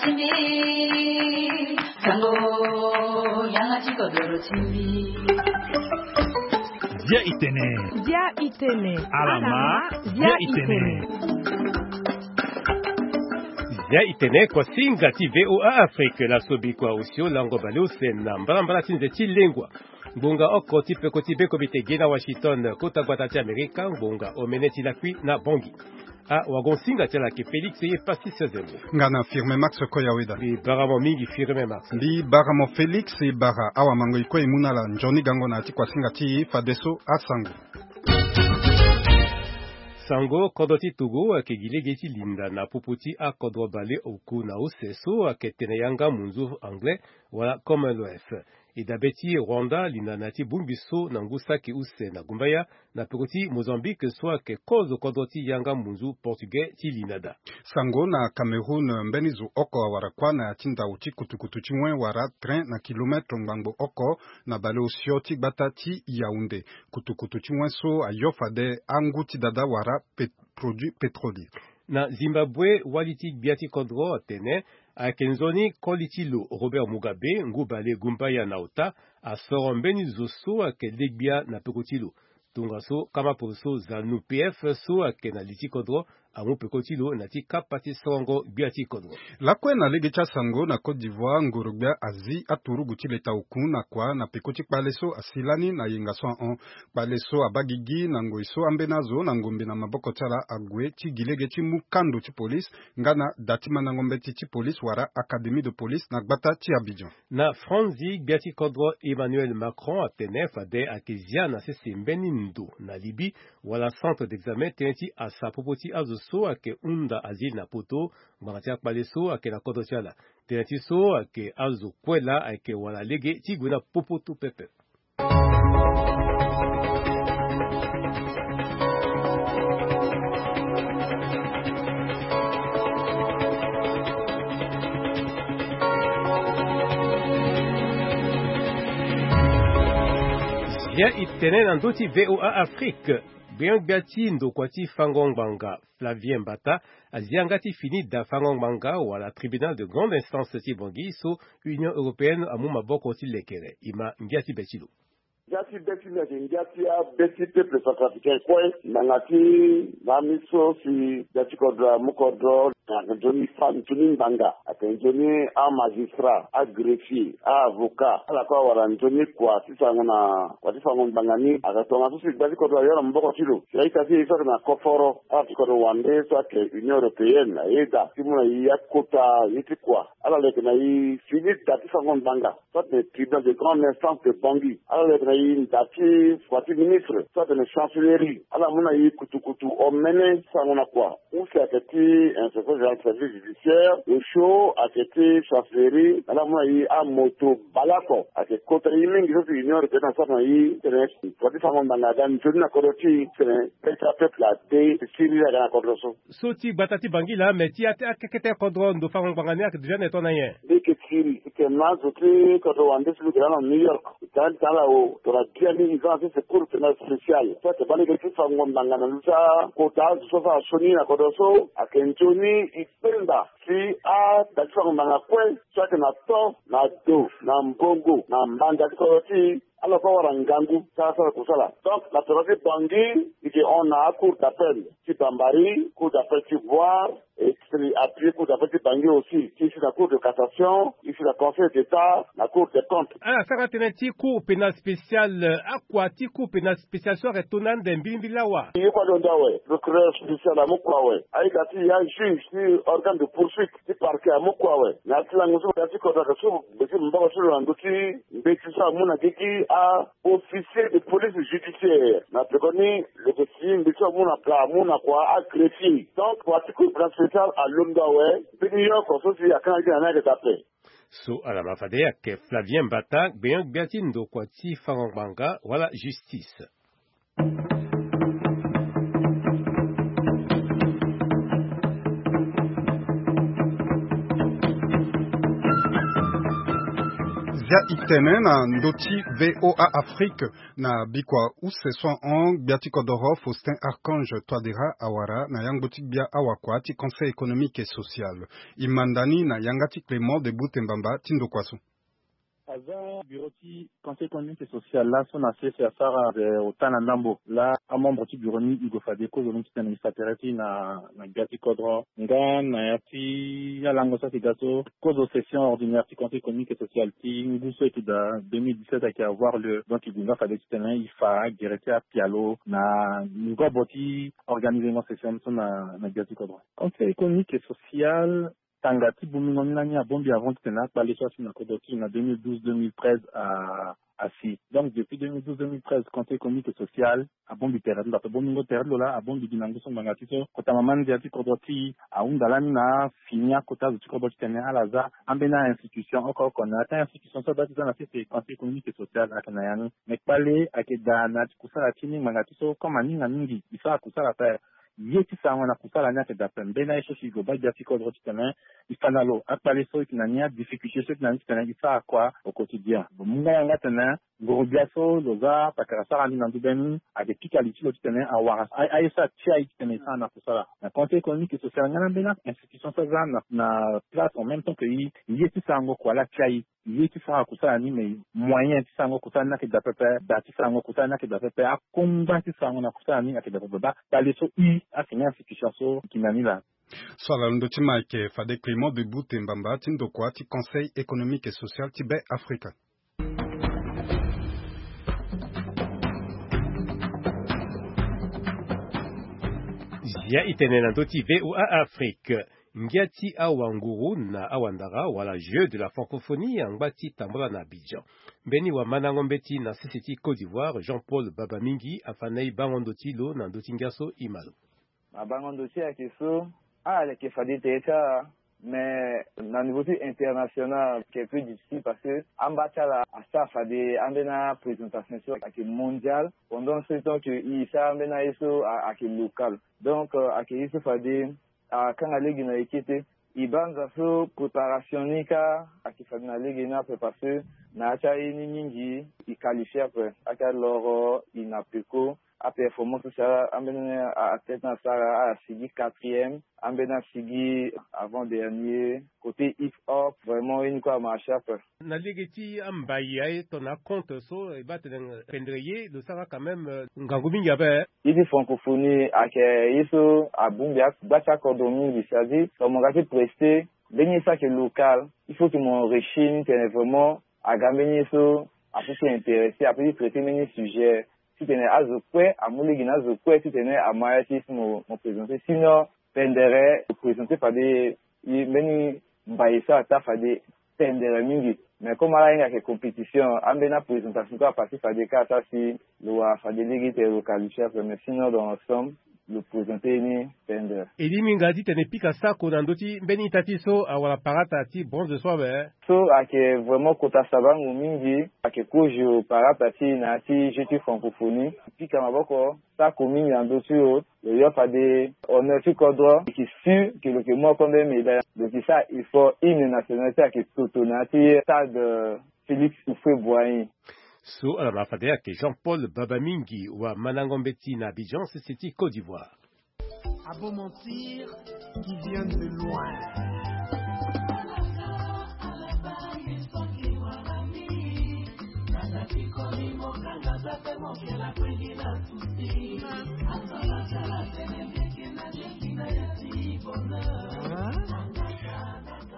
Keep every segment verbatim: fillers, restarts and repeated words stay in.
Timbi, sango, yanga ti kodoro timbi. Dia itene. Dia itene. Alama, dia itene. Dia itene, kuasinga ti V O A Afrique, laso bikua osio lango baleuse na mbalambala ti nze ti lengua. Ngbonga oko ti peko ti be komite ge na Washington, kota gbata ti Amerika, ngbonga omene ti lakui na Bangui. Ah, wagon singa ti ala ayeke Félix ye Pastis Zembo. Nga na Firme Max Koyaweda. Mbi bara mo mingi Firme Max. Mbi bara mo Félix, e bara awamango e kue e mu na ala nzoni gango na ya ti kuasinga ti e fadeso asango. Sango, kodro ti Togo ayeke gi lege ti linda na popo ti akodro baleoku na use so ayeke tene yanga munzu anglais wala Commonwealth. E dabe ti Rwanda linda na ya ti bongbi so na ngu saki use na gumbaya, na peko ti Mozambique so ayeke kozo kodro ti yanga munzu portugais ti linda daa. Sango, na Cameroun, mbeni zo oko awara kuâ na ya ti ndau ti kutukutu ti wen wala train na kilometre ngbangbo oko na baleosio ti gbata ti Yaoundé. Kutukutu ti wen so ayo fade angu ti dada wala pet-, produit pétrolier. Na Zimbabwe, wali ti gbia ti kodro atene ayeke nzoni koli ti lo Robert Mugabe, ngu bale gumbaya na ota, asoro mbeni zo so ayeke le gbia na peko ti lo. Tongaso kama poroso ZANU P F so ayeke na li ti kodro amu peko ti lo na ti kapa ti sorongo gbia ti kodro. Lakue na lege ti asango, na Côte d'Ivoire, ngoro-gbia azi aturugu ti leta oku na kua na peko ti kpale so asi lani na yenga so ahon. Kpale so abaa gigi na ngoi so ambeni azo na ngombe na maboko ti ala ague ti gi lege ti mu kando ti police nga na da ti mandango mbeti ti police wala académie de police na gbata ti Abidjan. Na Franzi, gbia ti kodro Emmanuel Macron atene fade ayeke zia na sese mbeni ndo na Libye wala centre d'examen tënë ti asa popo ti azo so ayeke hunda azile na poto ngbanga ti akpale so ayeke na kodro ti ala. Tënë ti so ayeke azo kue laa ayeke wara lege ti gue na popo to pepe. Zia e tene na ndö ti V O A Afrique. Gbenyo-gbia ti ndokua ti fango ngbanga Flavien Mbata azi yanga ti fini da fango ngbanga wala tribunal de grande instance ti Bangui so Union européenne amu maboko ti lekere. E ma ngia ti be ti lo. Ngia ti be ti lo ayeke ngia ti abe ti peuple centrafricain kue na yanga ti lami so si gbia ti kodro amu kodro. Ayeke nzoni fa nzoni ngbanga, ayeke nzoni amagistrat, agreffier, aavocat, ala kue awara nzoni kua ti sango na kua ti fango ngbanga ni. Ayeke tongaso si gbia ti kodro ayo na maboko ti lo si a-ita ti e so ayeke na koforo, ala ti kodro wande so ayeke Union européenne ayeda ti mu na e akota ye ti kua. Ala leke na e fini da ti fango ngbanga so atene tribunal de grande instance de Bangui. Ala leke na e nda ti kua ti ministre so atene chancellerie. Ala mu na e kutukutu omene sango na kua. Use ayeke ti inspecteur général du service judiciaire, osio ayeke ti chancellerie. Ala mu na e amoto baleoko ayeke kota e mingi so si Union européenne asara na e titene kua ti fango ngbanga aga nzoni na kodro ti e titene be ti apeuple ade siriri aga na kodro so. So ti gbata ti Bangui laa, me ti akekete kodro ndo fango ngbanga ni ayeke déjà na e to na nyen? Mbi yeke siri titene na azo ti kodro wande so mbi yeke laa na New York, e tene titene ala o tongana biani e za na sese cour pénal spécial so ayeke baa lege ti fango ngbanga na ndö ti akota azo so asara sioni na kodro so. Ayeke nzoni e kpenda si ada ti fango ngbanga kue so ayeke na to, na do, na mbongo, na mbanda ti kodro ti e, ala kue awara ngangu ti asara kusala. Donc na tongana ti Bangui, e yeke hon na acour d'appel ti Bambari, cour d'appel ti Bouar, et puis appuyer cour d'appel ti Bangui aussi, ti e si na cour de cassation, e si na conseil d'état, na cour des comptes. Ala sara tënë ti cour pénal spécial, akua ti cour pénal spécial so ayeke to na ande mbilimbili awa? Ye kue alondo awe, procureur spécial amu kua awe, a-ita ti e ajuge ti organe de poursuite ti parquet amu kua awe. Na ya ti lango so gbia ti kodro ayeke so gbe ti maboko ti lo na ndö ti mbeti so amu na gigi a-officier de police judiciaire. Na pekoni lo yeke si mbeti so amu na kua, amu na kua agreffier. Donc kua ti cour pénal spécial alondo awe. Mbeni yoko so si akanga gi na ni ayeke daa ape. So ala ma fade ayeke Flavien Mbata, gbenyo-gbia ti ndokua ti fango ngbanga wala justice. Zia itene na ndö ti VOA Afrique. Na bikua use so ahon, gbia ti kodoro Faustin Archange Touadéra awara na yangbo ti gbia awakua ti Conseil économique et social. E manda ni na yanga ti Clément de Boutembamba ti ndokua so. Aza bureau ti Conseil économique et social laso na sese asara, eh, ota na ndambo. La amembre ti bureau ni e gue fade kozo ni titene e fa tere ti na, na gbia ti kodro. Nga na ya ti alango so ayeke ga so, kozo session ordinaire ti Conseil économique et social ti ngu so ayeke daa deux mille dix-sept ayeke avoir lieu. Donc e gue nga fade titene e fa gere ti apialo na ngobo ti organisement session so na, na gbia ti kodro. Conseil économique et social, tanga ti bongbingo ni lani abongbi avant titene akpale so asi na kodro ti e na deux mille douze deux mille treize a, asi. Donc depuis deux mille douze deux mille treize, Conseil économique et social abongbi tere ti lo, ape bongbingo tere ti lo laa abongbi gi na ngu so ngbanga ti so kota mama ndia ti kodro ti e ahunda lani na afini akota zo ti kodro titene ala za ambeni a-institution oko oko na ya ti a-institution so abaa ti za na sese Conseil économique et social ayeke na ya ni. Me kpale ayeke daa na ya ti kusala ti ni ngbanga ti so comme aninga mingi e sara kusala ape. Ye ti sarango na kusala ni ayeke daa ape. Mbeni aye so si e gue baa gbia ti kodro titene e fa na lo akpale so e yeke na ni, adifficulté so e yeke na ni titene e sara kua au quotidien. Lo mu nga yanga titene nguru-gbia so lo za pakara sara ni na ndö be ni ayeke pika li ti lo titene awara a, aye so atia e titene e sara na kusala. Na Conseil économique et social nga na mbeni a-institution so aza na, na place en même temps que e, ye ti sarango kua laa atia e. Ye ti sara kusala ni, mais moyen ti sarango kusala ni ayeke daa pepe, da ti sarango kusala ni ayeke daa pepe, akongba ti sarango na kusala ni ayeke daa pepe. Baa kpale so e, asi na institution so e yeke na ni laa. So ala na ndö ti ma ayeke fade Clément de Boutembamba ti ndokua ti Conseil économique et social ti Be Afrika. Zia itene na ndö ti VOA Afrique. Ngia ti awanguru na awandara wala Jeux de la francophonie angba ti tambula na Abidjan. Mbeni wamandango mbeti na sese ti Côte d'Ivoire, Jean-Paul Babamingi, afa na e bango ndo ti lo na ndö ti ngia so e ma lo. Mabango ndo ti e ayeke so, ala yeke fade tere ti ala, mais na niveau ti international ayeke plus difficile parce que amba ti ala asara fade ambeni aprésentation so ayeke mondiale, pendant ce temps que e sara ambeni aye so a, ayeke local. Donc, euh, ayeke ye so fade akanga lege na eke te. E banza so préparation ni kâ ayeke fade na lege ni ape parce que na ya ti aye ni mingi e qualifie ape. Ake aloro e na peko, aperformance so si ala ambeni a, athlète ni asara, ala sigi quatrième, ambeni asigi avant dernier. Côté hip hop, vraiment ye ni kue amarché ape. Na lege ti ambai aye tongana acompte so e baa tene pendere ye lo sara quand même, euh, ngangu mingi ape. Ye ti francophonie ayeke ye so abongbi agba ti akodro mingi, c'est-à-dire tongana mo ga ti prester mbeni ye so ayeke local, il faut que mo enrichir ni tene vraiment aga mbeni ye so apeut ti intéressé, apeut ti traiter mbeni sujet titene azo kue amu lege na azo kue titene ama ya ti ye so mo, mo présenter. Sinon pendere mo présenter fade ye mbeni mbai so ataa fade pendere mingi. Mais comme ala hinga ayeke compétition, ambeni aprésentation kue apasé fade kâ ataa si lo wara fade lege ti tene lo qualifie ape. Mais sinon dans l'ensemble lo présenter ye ni pendere. E lingbi nga titene e pika sako na ndö ti mbeni ita ti e so awara parata ti bronze so awe? So ayeke vraiment kota sabango mingi, ayeke kozo parata ti e na ya ti jeu ti francophonie. Pika maboko sako mingi na ndö ti lo. Lo yo fade honneur ti kodro, e yeke sûr que lo yeke mu oko mbeni médaille. Lo yeke sara effort, hymne national ti e ayeke toto na ya ti stade, euh, Félix Houphouët-Boigny. So ala ma fade ayeke Jean-Paul Babamingi, wamandango mbeti na Abidjan, sese ti Côte d'Ivoire. A beau mentir qui vient de loin.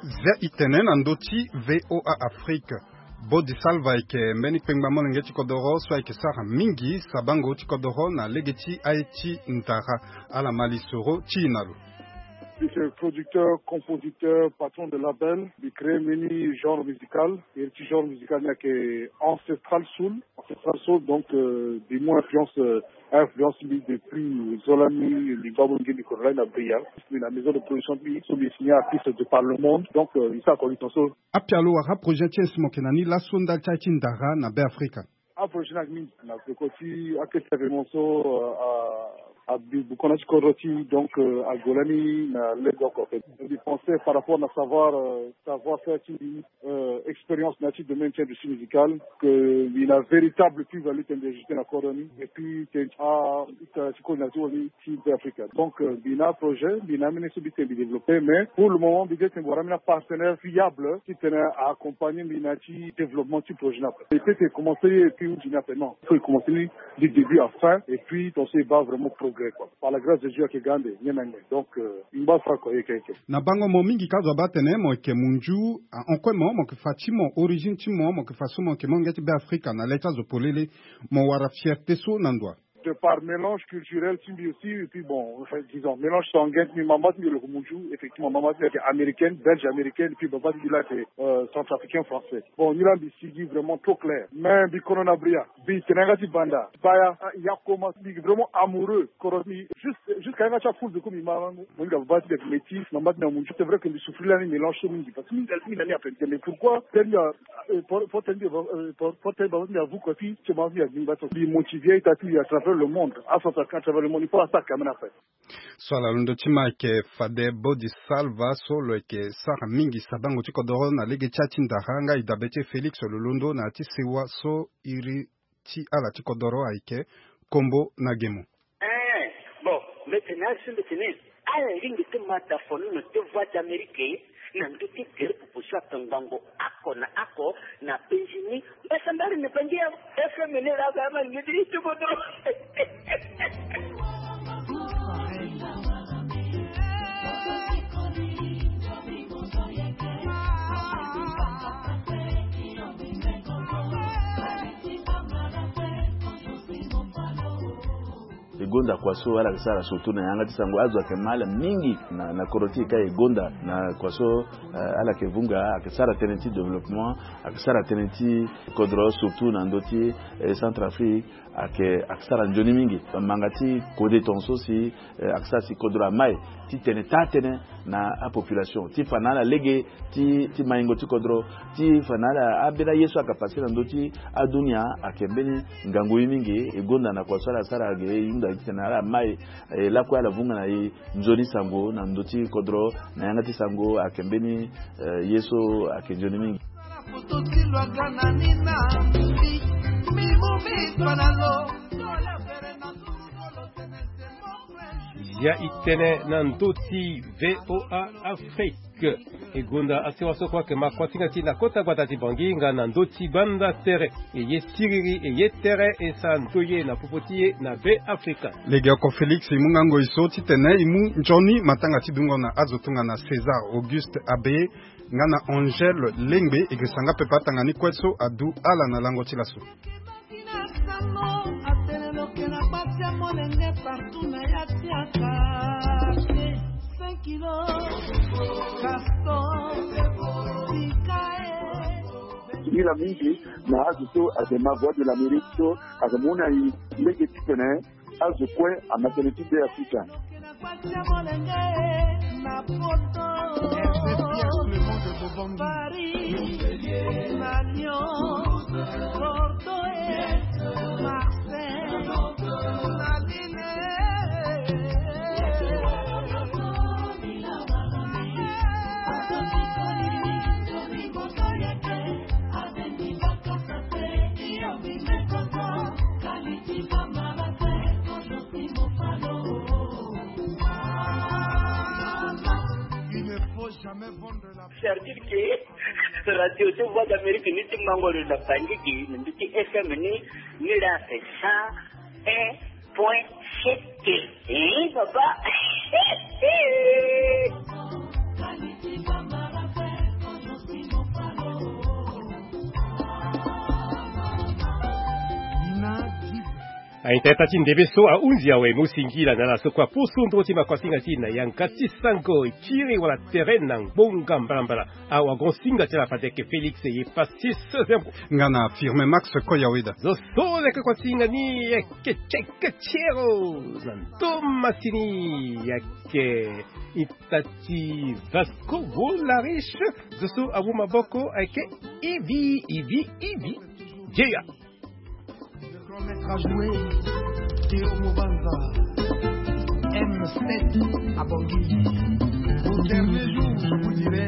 Zia itene na ndö ti VOA Afrique. Bodi Salva ayeke mbeni kpengba molenge ti kodoro so ayeke sara mingi sabango ti kodoro na lege ti aye ti ndara. Ala ma lisoro ti e na lo. Je suis producteur, compositeur, patron de label. Mbi créé mbeni genre musical. Iri ti genre musical ni ayeke ancestral soul. Ancestral soul, donc, euh, mbi mu influence, euh, a influence mbi depuis zo lani, lingba molenge mbi kodro lani na Bria. Mbi na maison de production ti mbi so mbi signé artiste de par le monde. Donc, euh, mbi sara connexion so. Apialo wala aprojet ti e si mo yeke na ni laso ndali ti aye ti ndara na Be Afrika? Aprojet ni ayeke mingi na peko ti akete événement so, euh, a abi bukona ti kodro ti, donc, euh, ague lani na lege oko ape. Mbi pense par rapport na savoir, euh, savoir faire ti, euh, expérience na ya ti domaine ti industrie musicale, que mbi na véritable plus-value tene mbi ajouter na kodro ni, et puis tene ti, ah, ti coordinateur ni ti Be Afrika. Donc, euh, mbi na projet, mbi na amene so mbi tene mbi développer, mais pour le moment mbi tene mbi wara ambeni apartenaire fiable ti tene a accompagner mbi na ya ti développement ti projet ni ape. E peut commencer ye et puis hundi ni ape, non, il faut commencer ni du début à fin, et puis ton so e baa vraiment progrès, quoi. Par la grâce de Dieu, ayeke ga ande nyen na nyen. Donc, euh, mbi baa so kue, ye yeke, ye yeke. Na bango mo mingi ka zo abaa tene mo yeke munzu, ah, en quoi mo, mo yeke fa ti mo, origine ti mo, mo yeke fa so mo yeke mo ngia ti Be Afrika na le ti azo polele, mo wara fierté so na ndo wa? De par mélange culturel ti mbi aussi, et puis bon, enfin, disons, mélange sanguin ti mbi, mama ti mbi lo yeke munzu, effectivement, mama ti mbi ayeke américaine, belge américaine, et puis baba ti mbi la ayeke, euh, centrafricain français. Bon, ni la mbi sigi vraiment trop clair. Mais mbi kono na bria, mbi tene yanga ti banda, baya, ah, ya koma, mbi vraiment amoureux, kodro ti mbi, juste, jusqu'à yanga ti apoule de ko mbi ma, mo hinga baba ti mbi ayeke métis, mama ti mbi amunzu. C'est vrai que mbi souffrir lani mélange so mingi, parce que mbi, mbi na ni ape, mais pourquoi, tene mbi a, euh, pour, pour tene mbi, euh, pour, pour tene mbi, mbi avu kua ti, ti mama ti mbi agbingba so. Mbi motivé ita ti mbi à travers le monde, acentrafricain à travers le monde, il faut attaquer amena ape. So ala londo ti ma ayeke fade Bodi Salva so lo yeke sara mingi sabango ti kodoro na lege ti ya ti ndara, nga e dabe ti e Félix lo londo na ya ti sewa so iri ti ala ti kodoro ayeke kombo na gemo. Eh, bon, mbi tene asi mbi tene ala lingbi ti ma da fono na te Voix d'Amérique na ndö ti tere popo so atongbango oko na oko na penzi ni. Mbasambari na bangi ya F M ni la ba ma ngi ti ti kodoro. E gonda kua so ala yeke sara surtout na yanga ti sango, azo ayeke ma ala mingi na, na kodro ti e ka. E gonda na kua so, eh, ala yeke vunga, ayeke sara tënë ti développement, ayeke sara tënë ti kodro surtout na ndö ti, eh, Centrafrique, ayeke, ayeke sara nzoni mingi. Manga ti kode tongaso si, eh, ayeke sara si kodro amai ti tene taa-tënë na apopulation, ti fa na ala lege ti, ti maingo ti kodro, ti fa na ala ambeni aye so ayeke pase na ndö ti adunia. Ayeke mbeni ngangu ye mingi. E gonda na kua so ala sara ge, e hunda titene ala mai, eh, lakue ala vunga na e nzoni sango na ndö ti kodro na yanga ti sango. Ayeke mbeni, eh, ye so ayeke nzoni mingi. Ya e tene na ndö ti V O A Afrique. E gonda asewa so kue ayeke ma kuasinga ti e na kota gbata ti Bangui nga na ndö ti gbanda tere. E ye siriri, e ye tere, e sara ndoye na popo ti e na Be Afrika. Lege oko Félix e mu nga ngoi so titene e mu nzoni matanga ti dungo na azo tongana César Auguste Abbé nga na Angèle Lengbe. E girisa nga pepe atanga ni kue so adu ala na lango ti laso. Nila mingi na azo so ayeke ma Voix de l'Amérique so ayeke mu na e lege titene azo kue ama tënë ti Be Afrika. C'est-à-dire que radio ti Voix d'Amérique ni ti mango lo na Bangui gi, ni ti F M ni, ni la c'est cent un point sept. Eh, papa. Aita ita ti ndembe so ahunzi awe, mo singila na ala so kue aposo ndro ti makuasinga ti e na yanga ti sango, e kiri wala tere na ngbonga mbalambala. Awagon singa ti ala fade ayeke Félix ye Pastis Zembo. Nga na Firme Max Koyaweda. Zo so leke kuasinga ni ayeke Tcheke Tiero na ndo masini, ayeke ita ti Vasco Volariche. Zo so awu maboko ayeke Ivi, Ivi, Ivi. Jeya. Le grand maître a joué, Théo Mobanza. M sept à Bangui. Au dernier jour, je vous dirai